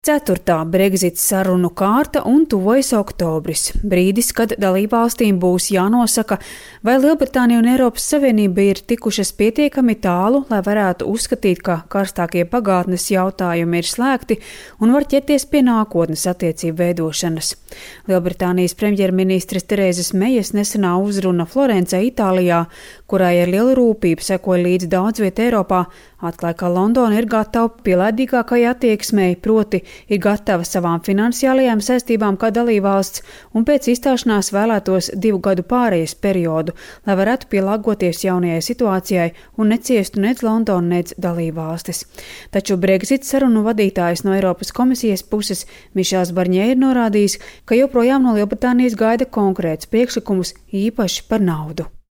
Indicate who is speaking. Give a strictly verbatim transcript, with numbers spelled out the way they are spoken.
Speaker 1: Ceturtā Brexit sarunu kārta un tuvojas oktobris, brīdis, kad dalībvalstīm būs jānosaka, vai Lielbritānija un Eiropas Savienība ir tikušas pietiekami tālu, lai varētu uzskatīt, ka karstākie pagātnes jautājumi ir slēgti un var ķerties pie nākotnes attiecību veidošanas. Lielbritānijas premjerministres Terēzes Mejas nesenā uzruna Florencē, Itālijā, kurai ar lielu rūpību sekoja līdz daudz viet Eiropā, atklāja, ka Londona ir gatava pielaidīgākai attieksmei, proti ir gatava savām finansiālajām saistībām kā dalībvalsts un pēc izstāšanās vēlētos divu gadu pārejas periodu, lai varētu pielāgoties jaunajai situācijai un neciestu nec Londona, nec dalībvalstis. Taču Brexit sarunu vadītājs no Eiropas komisijas puses Mišels Barņē ir norādījis, ka joprojām no Lielbritānijas gaida konkrēts priekšlikumus īpaši par naudu.